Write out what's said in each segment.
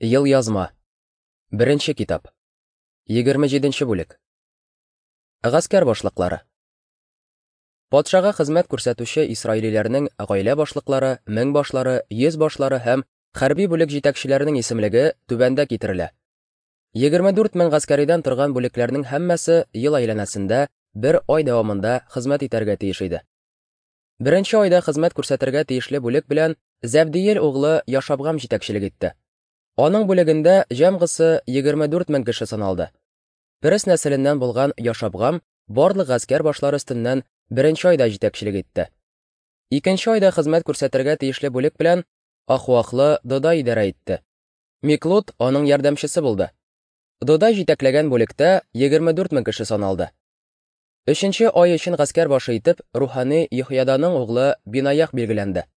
Елъязма. Беренче китап. 27 нче бүлек. Гаскәр башлыклары. Патшага хезмәт күрсәтүче исраилиләрнең гаилә башлыклары, меңбашлары, йөзбашлары һәм хәрби бүлек җитәкчеләренең исемлеге түбәндә китерелә. 24 мең гаскәридән торган бүлекләрнең һәммәсе ел әйләнәсендә бер ай дәвамында хезмәт итәргә тиеш иде. Беренче айда хезмәт күрсәтергә тиешле бүлек белән Зәбдиел углы Яшабгам җитәкчелек итте. Аның бүлегендә җәмгысы 24 мең кеше саналды. Перес нәселеннән булган Яшабгам барлык гаскәр башлары өстеннән беренче айда җитәкчелек итте. Икенче айда хезмәт күрсәтергә тиешле бүлек белән Ахуахлы Додай идарә итте. Миклут аның ярдәмчесе булды. Додай җитәкләгән бүлектә 24 мең кеше саналды. Өченче ай өчен гаскәр башы итеп рухани Йөхияданың углы Бинаях билгеләнде.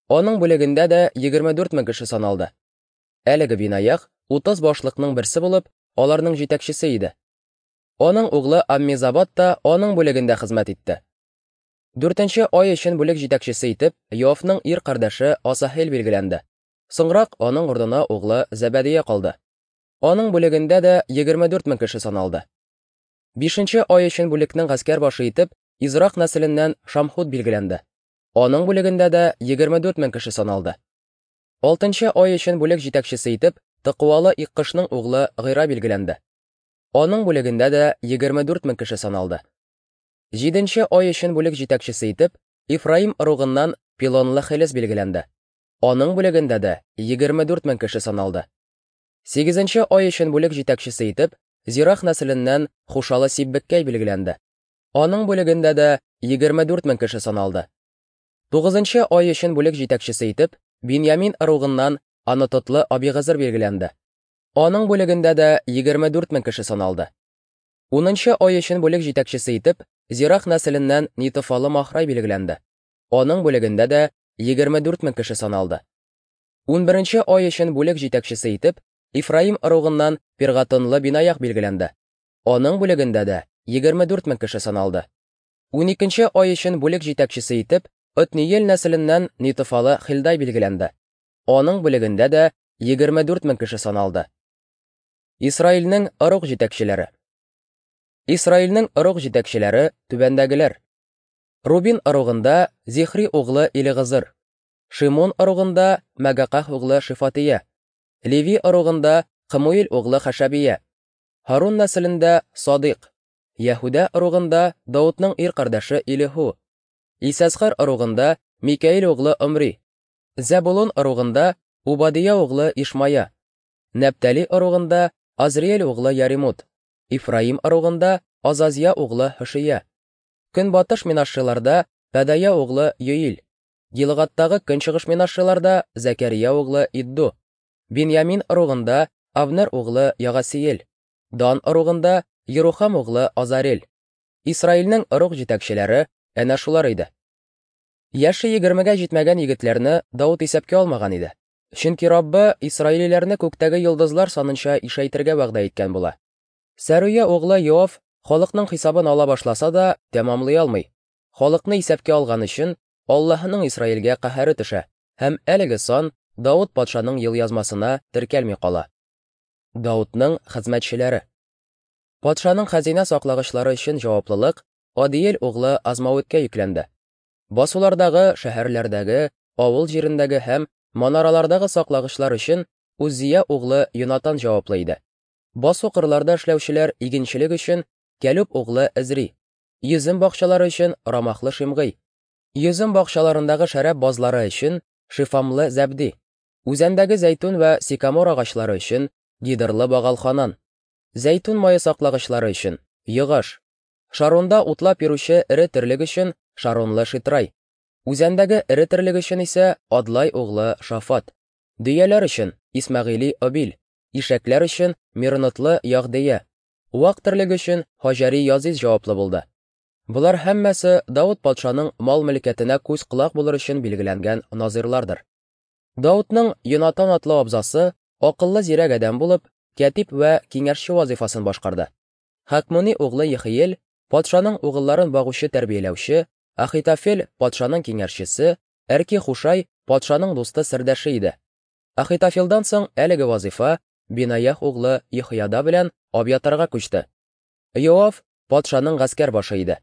Аның бүлегендә дә 24 мең кеше саналды. Әлеге Бинаях 30 башлыкның берсе булып, аларның җитәкчесе иде. Аның углы Аммизабад та аның бүлегендә хезмәт итте. Дүртенче ай өчен бүлек җитәкчесе итеп Йоавның ир кардәше Асаһел билгеләнде. Соңрак аның урынына углы Зәбәдия калды. Аның бүлегендә дә 24 мең кеше саналды. Бишенче ай өчен бүлекнең гаскәр башы итеп Израх нәселеннән Шамхут билгеләнде. Аның бүлегендә дә 24 мең кеше саналды. Алтынчы ай өчен бүлек җитәкчесе итеп Тыкуалы Иккышның углы Гыйра билгеләнде. Аның бүлегендә дә 24 мең кеше саналды. Җиденче ай өчен бүлек җитәкчесе итеп Ифраим ыругыннан Пилонлы Хелес билгеләнде. Аның бүлегендә дә 24 мең кеше саналды. Сигезенче ай өчен бүлек җитәкчесе итеп Зирах нәселеннән Хушалы Сиббеккәй билгеләнде. Аның бүлегендә дә 24 мең кеше саналды. Тугызынчы ай өчен бүлек җитәкчесе итеп Биньямин ыругыннан Анатотлы Абигызыр билгеләнде. Аның бүлегендә дә 24 мең кеше саналды. Унынчы ай өчен бүлек җитәкчесе итеп Зирах нәселеннән Нитофалы Махрай билгеләнде. Аның бүлегендә дә 24 мең кеше саналды. Унберенче ай өчен бүлек җитәкчесе итеп Ифраим ыругыннан Пиргатонлы Бинаях билгеләнде. Аның бүлегендә дә 24 мең кеше саналды. Уникенче ай өчен бүлек җитәкчесе итеп Отниел нәселеннән Нитофалы Хилдай билгеләнде. Аның бүлегендә дә 24 мең кеше саналды. Исраилнең ыруг җитәкчеләре. Исраилнең ыруг җитәкчеләре түбәндәгеләр. Рубин ыругында Зихри углы Илигызыр, Шимон ыругында Мәгаках углы Шифатия, Леви ыругында Кымуил углы Хашабия, Һарун нәселендә Садыйк, Яһүдә ыругында Даутның ир кардәше Илиху, Исәсхар ыругында Микаил углы Омри, Зәбулун ыругында Убадия углы Ишмая, Нәптали ыругында Азриэль углы Яримут, Ифраим ыругында Азазия углы Һошия, Көнбатыш Минашшиларда Пәдая углы Йоил, Гилгаттагы көнчыгыш Минашшиларда Зәкәрия углы Идду, Биньямин ыругында Авнер углы Ягасиел, Дан ыругында Ерухам углы Азарел. Исраилнең ыруг җитәкчеләре әнә шулар иде. Яше егермегә җитмәгән егетләрне Даут исәпкә алмаган иде. Чөнки Раббы исраилиләрне күктәге йолдызлар санынча ишәйтергә вәгъдә иткән була. Сәруя углы Йоав халыкның хисабын ала башласа да, тәмамлый алмый. Халыкны исәпкә алган өчен Аллаһының Исраилгә каһәре төшә, һәм әлеге сан Даут патшаның елъязмасына теркәлми кала. Даутның хезмәтчеләре. Патшаның хәзинә саклагычлары өчен җаваплылык Адиел углы Азмавиткә йөкләнде. Басулардагы, шәһәрләрдәге, авыл җирендәге һәм манаралардагы саклагычлар өчен Уззия углы Йонатан җаваплы иде. Басу-кырларда эшләүчеләр игенчелек өчен Кәлүб углы Эзри, йөзем бакчалары өчен Рамахлы Шимгый, йөзем бакчаларындагы шәраб базлары өчен Шифамлы Зәбди, үзәндәге зәйтүн вә сикамор агачлары өчен Гидырлы Багалханан, зәйтүн мае саклагычлары өчен Йогаш, Шаронда утлап йөрүче эре терлек өчен Шаронлы Шитрай, үзәндәге эре терлек өчен исә Адлай углы Шафат, дөяләр өчен Исмәгыйли Обил, ишәкләр өчен Миронотлы Ягъдия, вак терлек өчен Һаҗәри Язиз җаваплы булды. Болар һәммәсе Даут патшаның мал-мөлкәтенә күз-колак булыр өчен билгеләнгән назыйрлардыр. Даутның Йонатан атлы абзасы акыллы зирәк адәм булып, кәтиб вә киңәшче вазифасын башкарды. Хакмони углы Ехиел патшаның угылларын багучы-тәрбияләүче, Ахитофел патшаның киңәшчесе, Әрки Хушай патшаның дусты-сердәше иде. Ахитофелдан соң әлеге вазыйфа Бинаях углы Еһояда белән Абьятарга күчте. Йоав патшаның гаскәр башы иде.